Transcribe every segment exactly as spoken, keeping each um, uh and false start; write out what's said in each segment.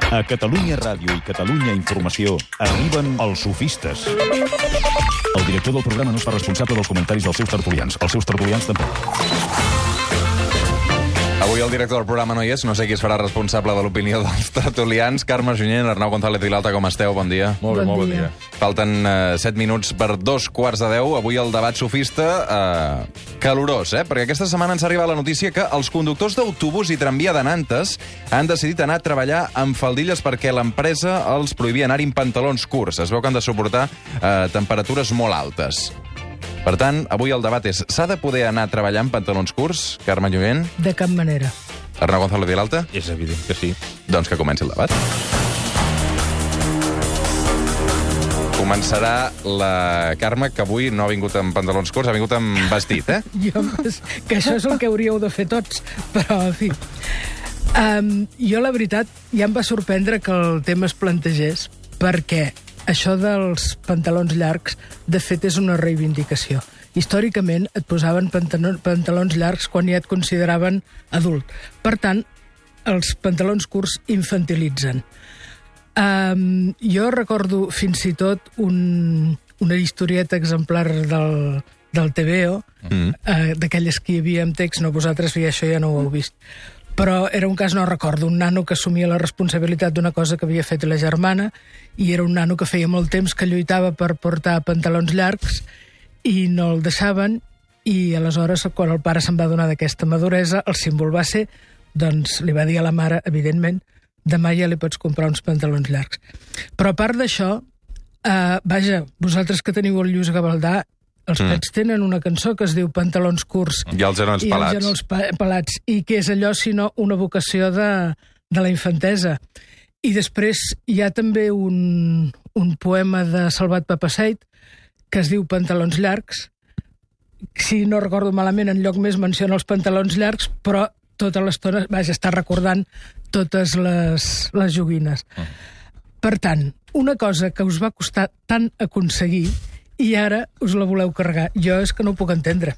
A Catalunya Ràdio i Catalunya Informació arriben els sofistes. El director del programa no es fa responsable dels comentaris dels seus tertulians. Els seus tertulians tampoc. Avui el director del programa no hi és, no sé qui es farà responsable de l'opinió dels tertulians. Carme Junyent, Arnau González Vilalta, com esteu? Bon dia. Molt bé, bon molt bon dia. dia. Falten uh, set minuts per dos quarts de deu. Avui el debat sofista uh, calorós, eh? Perquè aquesta setmana ens ha arribat la notícia que els conductors d'autobús i tramvia de Nantes han decidit anar a treballar amb faldilles perquè l'empresa els prohibia anar en pantalons curts. Es veu que han de suportar uh, temperatures molt altes. Per tant, avui el debat és: s'ha de poder anar a treballar amb pantalons curts, Carme Junyent? De cap manera. Arnau González Vilalta? És evident que sí. Doncs que comenci el debat. Començarà la Carme, que avui no ha vingut amb pantalons curts, ha vingut amb vestit, eh? Jo, que això és el que hauríeu de fer tots, però, en fi. Um, jo, la veritat, ja em va sorprendre que el tema es plantegés, perquè això dels pantalons llargs, de fet, és una reivindicació. Històricament et posaven pantalons llargs quan ja et consideraven adult. Per tant, els pantalons curts infantilitzen. Um, jo recordo fins i tot un, una historieta exemplar del, del T V O, mm. uh, d'aquelles que hi havia amb text, no, vosaltres ja això ja no ho heu vist. Però era un cas, no recordo, un nano que assumia la responsabilitat d'una cosa que havia fet la germana, i era un nano que feia molt temps que lluitava per portar pantalons llargs i no el deixaven, i aleshores, quan el pare se'n va donar d'aquesta maduresa, el símbol va ser, doncs li va dir a la mare, evidentment, demà ja li pots comprar uns pantalons llargs. Però a part d'això, eh, vaja, vosaltres que teniu el Lluís Gavaldà, els mm. Pets tenen una cançó que es diu Pantalons curts i els genols i pelats. els genols pelats, i que és allò, sinó una vocació de, de la infantesa. I després hi ha també un, un poema de Salvat Papasseit que es diu Pantalons llargs. Si no recordo malament, en lloc més menciona els pantalons llargs, però tota l'estona, vaja, està recordant totes les, les joguines. Mm. Per tant, una cosa que us va costar tant aconseguir i ara us la voleu carregar. Jo és que no ho puc entendre.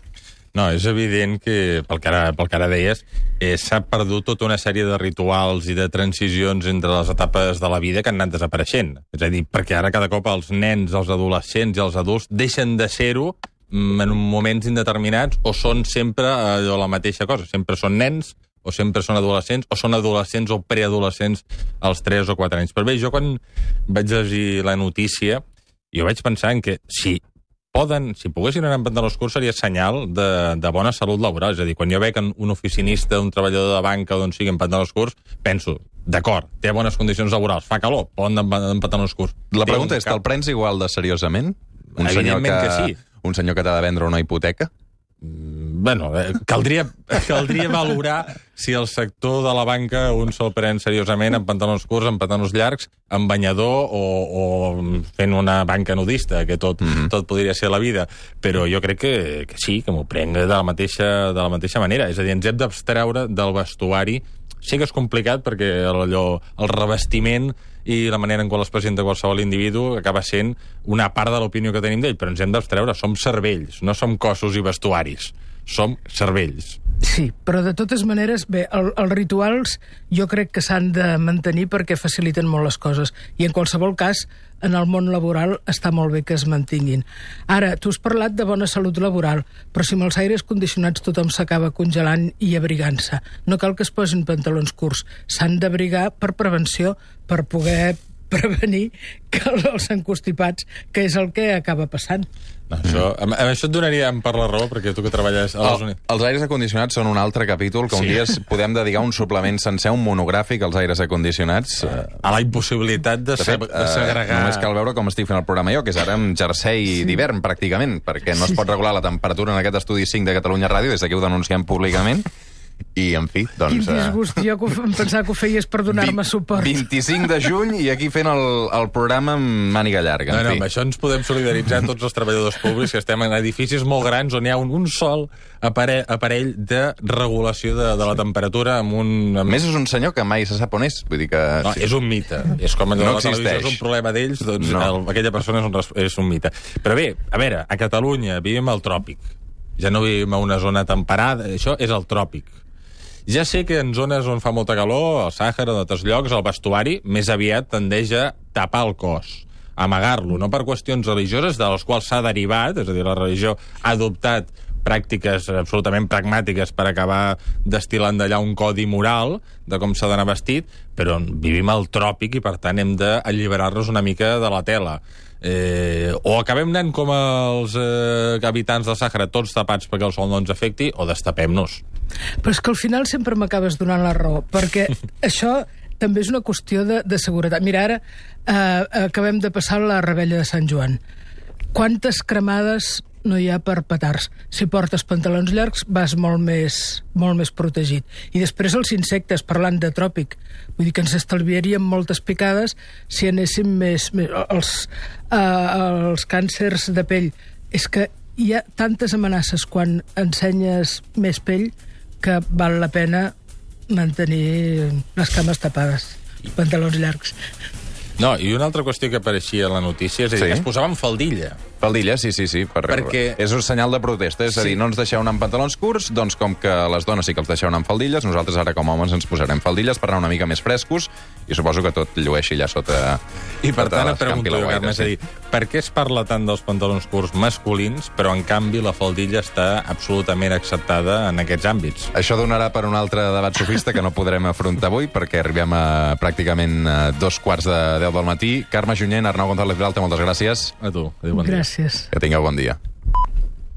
No, és evident que, pel que ara, pel que ara deies, eh, s'ha perdut tota una sèrie de rituals i de transicions entre les etapes de la vida que han anat desapareixent. És a dir, perquè ara cada cop els nens, els adolescents i els adults deixen de ser-ho en moments indeterminats o són sempre allò, la mateixa cosa. Sempre són nens o sempre són adolescents, o són adolescents o preadolescents als tres o quatre anys. Però bé, jo quan vaig llegir la notícia, jo vaig pensar en que si poden, si poguessin anar en pantalons curts seria senyal de, de bona salut laboral. És a dir, quan jo veig un oficinista, un treballador de banca o d'on sigui en pantalons curts, penso, d'acord, té bones condicions laborals, fa calor, poden anar en pantalons curts. La pregunta és, te'l prens igual de seriosament? Un senyor que, que sí. Un senyor que t'ha de vendre una hipoteca? Bueno, eh, caldria, caldria valorar si el sector de la banca un se'l pren seriosament amb pantalons curts, amb pantalons llargs, amb banyador o, o fent una banca nudista, que tot, mm-hmm. tot podria ser la vida. Però jo crec que, que sí, que m'ho prenc de la, mateixa, de la mateixa manera. És a dir, ens hem d'abstreure del vestuari. Sí que és complicat perquè allò, el revestiment i la manera en què es presenta qualsevol individu acaba sent una part de l'opinió que tenim d'ell, però ens hem d'abstreure. Som cervells, no som cossos i vestuaris. Som cervells. Sí, però de totes maneres, bé, el, els rituals jo crec que s'han de mantenir perquè faciliten molt les coses. I en qualsevol cas, en el món laboral està molt bé que es mantinguin. Ara, tu has parlat de bona salut laboral, però si amb els aires condicionats tothom s'acaba congelant i abrigant-se, no cal que es posin pantalons curts. S'han d'abrigar per prevenció, per poder prevenir que els encostipats, que és el que acaba passant. No, això, amb, amb això et donaria per la raó, perquè tu que treballes a les Units... Els aires acondicionats són un altre capítol, que un sí. dia podem dedicar un suplement sencer, un monogràfic als aires acondicionats. A la impossibilitat de, de, fet, de segregar... Uh, només cal veure com estic fent el programa jo, que és ara amb jersei sí. d'hivern, pràcticament, perquè no es pot regular la temperatura en aquest estudi cinc de Catalunya Ràdio, des d'aquí ho denunciem públicament. I, en fi, doncs... Quin disgust, jo que em pensava que ho feies per donar-me suport. vint-i-cinc de juny i aquí fent el, el programa amb màniga llarga. No, no, amb això ens podem solidaritzar tots els treballadors públics que estem en edificis molt grans on hi ha un, un sol aparell, aparell de regulació de, de la temperatura amb un... Amb... A més, és un senyor que mai se sap on és. Vull dir que... No, és un mite. És com no la televisió és un problema d'ells, doncs no. el, aquella persona és un, és un mite. Però bé, a veure, a Catalunya vivim al tròpic. Ja no vivim a una zona temperada, això és el tròpic. Ja sé que en zones on fa molta calor, al Sàhara, en altres llocs, el vestuari més aviat tendeix a tapar el cos, amagar-lo, no per qüestions religioses, de les quals s'ha derivat, és a dir, la religió ha adoptat pràctiques absolutament pragmàtiques per acabar destil·lant d'allà un codi moral de com s'ha d'anar vestit, però vivim al tròpic i, per tant, hem d'alliberar-nos una mica de la tela. Eh, o acabem anant com els eh, habitants del Sàhara, tots tapats perquè el sol no ens afecti, o destapem-nos. Però és que al final sempre m'acabes donant la raó, perquè això també és una qüestió de, de seguretat. Mira, ara eh, acabem de passar la Revetlla de Sant Joan. Quantes cremades no hi ha per petards? Si portes pantalons llargs vas molt més, molt més protegit. I després els insectes, parlant de tròpic, vull dir que ens estalviaríem moltes picades si anéssim més... més els, eh, els càncers de pell. És que hi ha tantes amenaces quan ensenyes més pell que val la pena mantenir les cames tapades, els pantalons llargs. No, i una altra qüestió que apareixia a la notícia és a dir, Sí? que es posaven faldilla. Faldilla, sí, sí, sí. Per... Perquè- És un senyal de protesta, és a dir, Sí. no ens deixeu anar amb pantalons curts, doncs com que les dones sí que els deixeu anar amb faldilles, nosaltres ara com a homes ens posarem faldilles per anar una mica més frescos i suposo que tot llueixi allà sota... I per sota tant, et l'escampi pregunto, la jo, guaira, Carme, és a sí. dir, per què es parla tant dels pantalons curts masculins, però en canvi la faldilla està absolutament acceptada en aquests àmbits? Això donarà per un altre debat sofista que no podrem afrontar avui perquè arribem a pràcticament a dos quarts de deu del matí. Carme Junyent, Arnau González Vilalta, moltes gràcies. A tu, adéu, bon dia. Gràcies. Que tingueu bon dia.